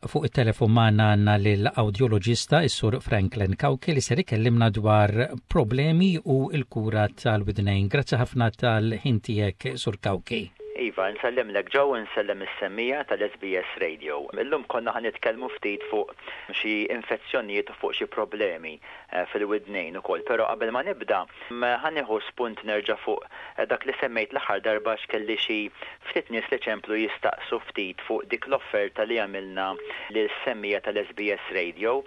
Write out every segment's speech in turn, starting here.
Fuq it-telefon magħna għandna lill-awdjoloġista is-Sur Franklin Cauchi li ser ikellimna dwar problemi u l-kura tal-widnejn. Grazzi ħafna tal-ħin tiegħek, Sur Cauchi. Iva, nsellimlek Joe u nsellem is-semmiegħa tal-SBS Radio. Illum konna ħa nitkellmu ftit fuq xi infezzjonijiet u fuq xi problemi fil-widnejn ukoll. Però qabel ma nibda, ħa nieħu spunt nerġa' fuq dak li semmejt l-aħħar darba għax kelli xi ftit nies li ċemplu jistaqsu ftit fuq dik l-offerta li għamilna lis-semmiegħa tal-SBS Radio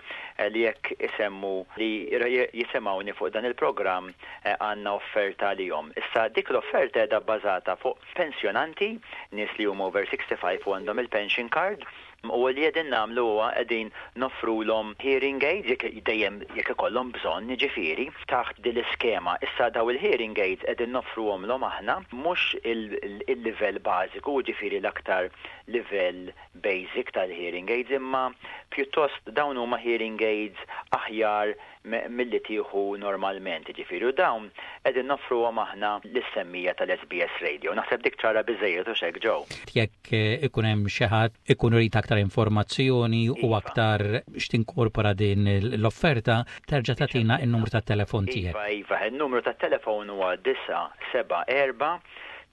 li jekk isemmu li jisimgħuni fuq dan il-programm għandna offerta għalihom. Issa dik l-offerta qiegħda bbażata fuq pensjonanti, nies li huma over 65 u għandhom il-pension card, u li qegħdin nagħmlu huwa qegħdin noffrulhom hearing aids jekk dejjem jekk ikollhom bżonn jiġifieri taħt din l-iskema. Issa daw il-hearing aids qegħdin noffruhomlhom aħna mhux il-livell bażiku, jiġifieri l-aktar livell basic tal-hearing aids imma pjuttost dawn huma hearing aids aħjar milli tieħu normalment, jiġifieri, u dawn qegħdin noffruhom aħna lis-semmiegħa tal-SBS Radio. Naħseb dik ċara biżżejjed hux hekk Joe? Jekk ikun hemm xi ħadd ikun irid aktar informazzjoni u aktar x'tinkorpora din l-offerta, terġa' tagħtina n-numru tat-telefon tiegħek. Iva, iva, in-numru tat-telefon huwa 974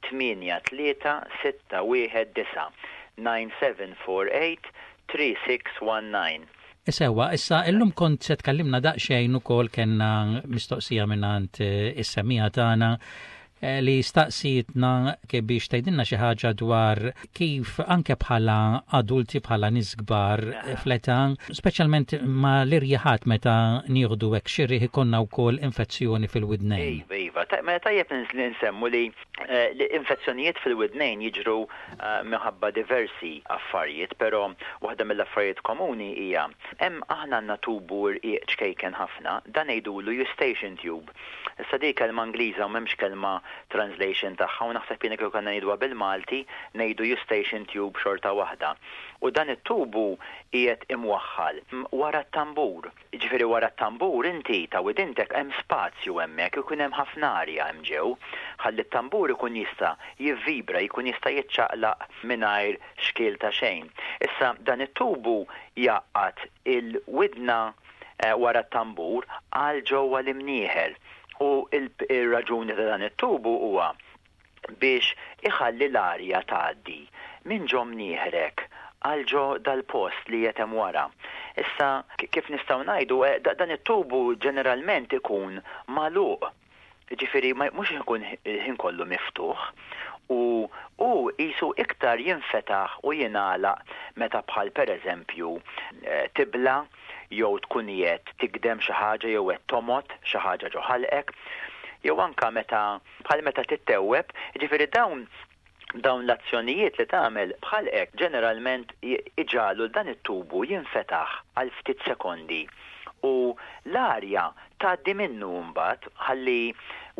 83 619 9748 3619. Sewwa, issa illum kont se tkellimna daqsxejn ukoll kellna mistoqsija mingħand is-semmiegħa tagħna li staqsietna biex tgħidilna xi ħaġa dwar kif anke bħala adulti bħala nies kbar fl-età, speċjalment ma l-irjiħat meta nieħdu hekk xi riħ ikollna wkoll infezzjoni fil-widnejn. Iva, iva. Mela tajjeb li nsemmu li L-infezzjonijiet fil-widnejn jiġru minħabba diversi affarijiet, però waħda mill-affarijiet komuni hija hemm aħna għandna tubu rqiq ċkejken ħafna, dan ngħidulu eustachian tube. Issa di kelma Ingliża u m'hemmx kelma translation tagħha u naħseb jiena kieku kellna ngħiduha bil-Malti ngħidu eustachian tube xorta waħda. U dan it-tubu qiegħed imwaħħal wara t-tambur. Jiġifieri wara t-tambur inti ta' widintek hemm spazju hemmhekk ikun hemm ħafna arja hemm ġew, ħalli t-tambur ikun jista' jivvibra, jkun jista' jiċċaqlaq mingħajr xkiel ta' xejn. Issa dan it-tubu jgħaqqad il-widna wara t-tambur għal ġewwa l-imnieħer u r-raġuni ta' dan it-tubu huwa biex iħalli l-arja tgħaddi minn ġo mnieħrek għal ġo dal-post li qiegħed hemm wara. Issa, kif nistgħu ngħidu, dan it-tubu ġeneralment ikun magħluq, jiġifieri mhux ikun il-ħin kollu miftuħ u hu qisu iktar jinfetaħ u jingħalaq meta bħal pereżempju tibla' jew tkun qiegħed tigdem xi ħaġa jew qed tomgħod xi ħaġa ġo ħalqek jew anke meta bħal meta tittewweb, jiġifieri dawn dawn l-azzjonijiet li tagħmel b'ħalqek ġeneralment iġagħlu l dan it-tubu jinfetaħ għal ftit sekondi u l-arja tgħaddi minnu mbagħad ħalli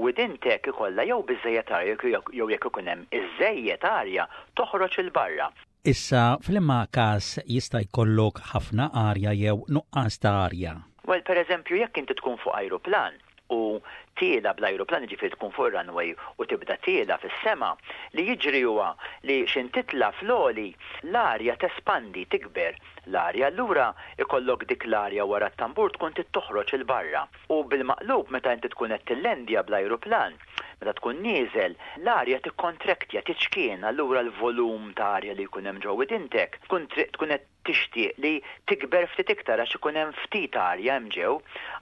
widintek ikollha jew biżżejjed arja jew jekk ikun hemm iżżejjed arja toħroġ 'il barra. Issa f'liema każ jista' jkollok ħafna arja jew nuqqas ta' arja? Well, pereżempju jekk inti tkun fuq ajruplan u tiela' bl-ajruplan, jiġifieri tkun fuq ir-runway u tibda tiela' fis-sema, li jiġri huwa li x'int titla' fl-għoli, l-arja tespandi, tikber l-arja, allura ikollok dik l-arja wara t-tambur tkun trid toħroġ 'il barra. U bil-maqlub meta inti tkun qed tillendja bl-ajruplan, meta tkun nieżel, l-arja tikkontrektja, tiċkien, allura l-volum ta' arja li jkun hemm ġo widintek tkun tkun qed tixtieq li tikber ftit iktar għax ikun hemm ftit arja hemm ġew.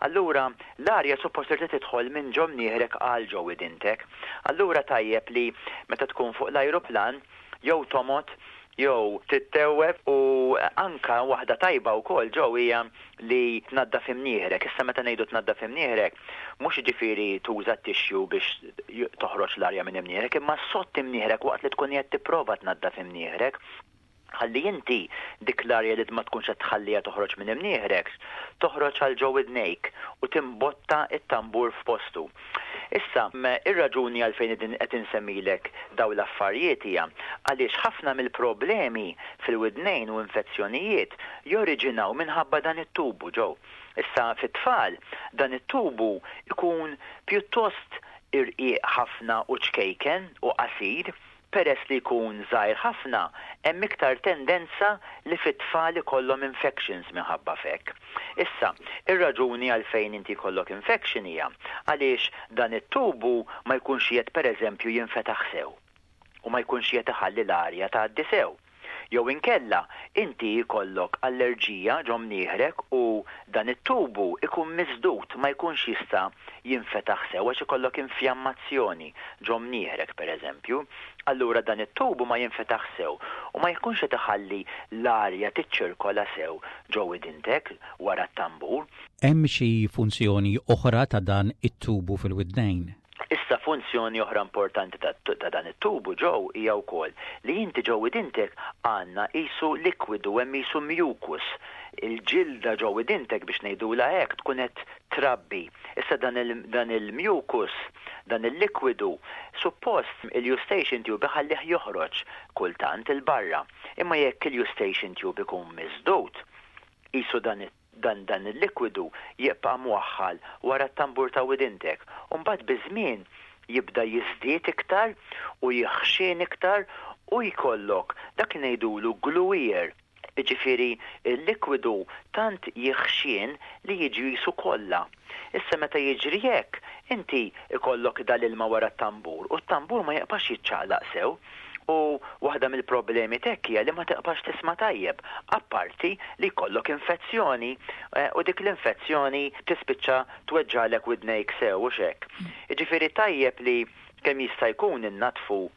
Allura l-arja suppost trid tidħol minn ġo mnieħrek għal ġo widintek. Allura tajjeb li meta tkun fuq l-ajruplan jew tomgħod jew tittewweb u anka waħda tajba wkoll ġo hija li tnaddaf imnieħrek. Issa meta ngħidu tnaddaf imnieħrek, mhux jiġifieri tuża t-tissue biex toħroġ l-arja minn imnieħrek, imma ssott imnieħrek waqt li tkun qiegħed tipprova tnaddaf imnieħrek. Ħalli inti dik l-arja li ma tkunx qed tħalliha toħroġ minn imnieħrek, toħroġ għal ġo widnejk u timbotta t-tambur f'postu. Issa, ir-raġuni għalfejn qegħdin qed insemmilek dawn l-affarijiet hija għaliex ħafna mill-problemi fil-widnejn u infezzjonijiet joriġinaw minħabba dan it-tubu ġo. Issa fit-tfal dan it-tubu jkun pjuttost irqiq ħafna u ċkejken u qasir. Peress li jkun żgħir ħafna, hemm iktar tendenza li fit-tfal ikollhom infections minħabba f'hekk. Issa, ir-raġuni għalfejn inti jkollok infection hija għaliex dan it-tubu ma jkunx qiegħed pereżempju jinfetaħ sew u ma jkunx qiegħed iħalli l-arja tgħaddi sew. Jew inkella inti jkollok allerġija ġo mnieħrek u dan it-tubu ikun misdud ma jkunx jista' jinfetaħ sew għax ikollok infjammazzjoni ġo mnieħrek pereżempju. Allura dan it-tubu ma jinfetaħ sew u ma jkunx qed iħalli l-arja tiċċirkola sew ġo widintek wara t-tambur. Hemm xi funzjoni oħra ta' dan it-tubu fil-widnejn? Issa funzjoni oħra importanti ta' dan it-tubu ġew hija wkoll li inti ġew widintek għandna qisu likwidu hemm qisu mucus. Il-ġilda ġew widintek biex ngħidulha hekk tkun qed trabbi. Issa dan dan il-mucus, dan il-likwidu, suppost il-eustachian tube iħallih joħroġ kultant 'il barra. Imma jekk il-eustachian tube ikun misdud, qisu dan Dan dan il-likwidu jibqa' mwaħħal wara t-tambur ta' widintek u mbagħad biż-żmien jibda jiżdied iktar u jiħxien iktar u jkollok dak li ngħidulu glue ear, jiġifieri l-likwidu tant jiħxien li jiġi qisu kolla. Issa meta jiġri hekk, inti jkollok dal-ilma wara t-tambur u t-tambur ma jibqax jiċċaqlaq sew. U waħda mill-problemi t'hekk hija li ma tiqbax tisma' tajjeb, apparti li jkollok infezzjoni u dik l-infezzjoni tispiċċa tweġġagħlek widnejk sew, hux hekk? Jiġifieri tajjeb li kemm jista' jkun innaddfu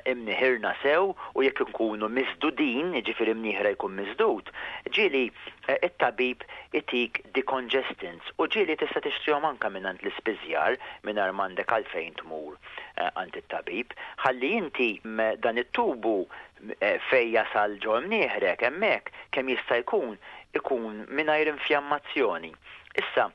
imniħirna sew u jekk inkunu misdudin, jiġifieri mnieħra jkun misdud, ġieli it-tabib itik decongestants u ġieli tista' tixtrihom anke mingħand l-ispiżjar mingħajr m'għandek għalfejn tmur għand it-tabib, ħalli inti dan it-tubu fejn jasal ġo imnieħrek hemmhekk kemm jista' jkun ikun mingħajr infjammazzjoni. Issa,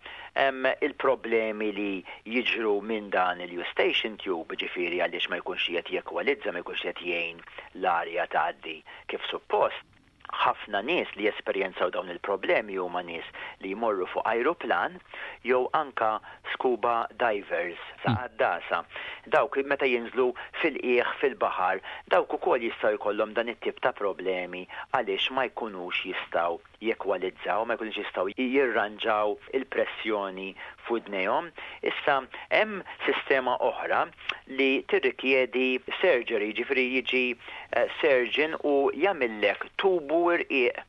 il-problemi li jiġru minn dan il-eustachian tube, jiġifieri għaliex ma jkunx qiegħed jekwalizza, ma jkunx qiegħed jgħin l-arja tgħaddi kif suppost, Ħafna nies li jesperjenzaw dawn il-problemi huma nies li jmorru fuq ajruplan jew anka scuba divers, għaddasa. Dawk meta jinżlu fil-qiegħ fil-baħar, dawk ukoll jistgħu jkollhom dan it-tip ta' problemi għaliex ma jkunux jistgħu jekwalizzaw, ma jkunux jistgħu jirranġaw il-pressjoni f'widnejhom. Issa hemm sistema oħra li tirrikjedi surgery, jiġifieri jiġi surgeon u jagħmillek tubu irqiq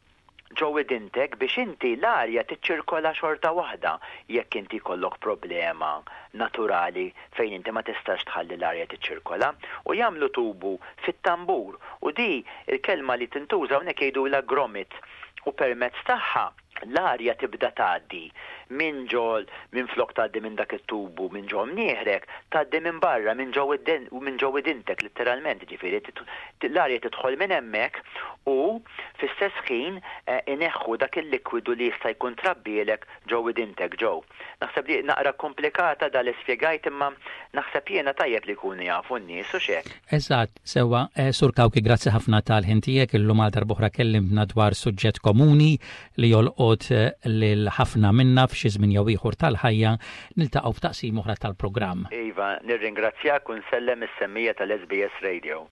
ġo widintek biex inti l-arja tiċċirkola xorta waħda jekk inti jkollok problema naturali fejn inti ma tistax tħalli l-arja tiċċirkola u jagħmlu tubu fit-tambur u di l-kelma li tintuża hawnhekk jgħidulha grommet u permezz tagħha l-arja tibda tgħaddi minn ġo minflok tgħaddi minn dak it-tubu minn ġo mnieħrek, tgħaddi minn barra minn ġo minn ġo widintek litteralment, jiġifieri l-arja tidħol minn hemmhekk u fl-istess ħin ineħħu dak il-likwidu li jista' jkun trabbielek ġo widintek ġo. Naħseb li naqra komplikata da li spjegajt imma naħseb jiena tajjeb li jkunu jafu n-nies hux hekk? Eżatt, sewwa. Sur Cauchi grazzi ħafna tal-ħin tiegħek illum għal darb'oħra kellimtna dwar suġġett komuni li jolqot lil ħafna minna f'xi żmien jew ieħor tal-ħajja. Niltaqgħu f'taqsima oħra tal-programm. Iva, nirringrazzjak u nsellem is-semmiegħa tal-SBS Radio.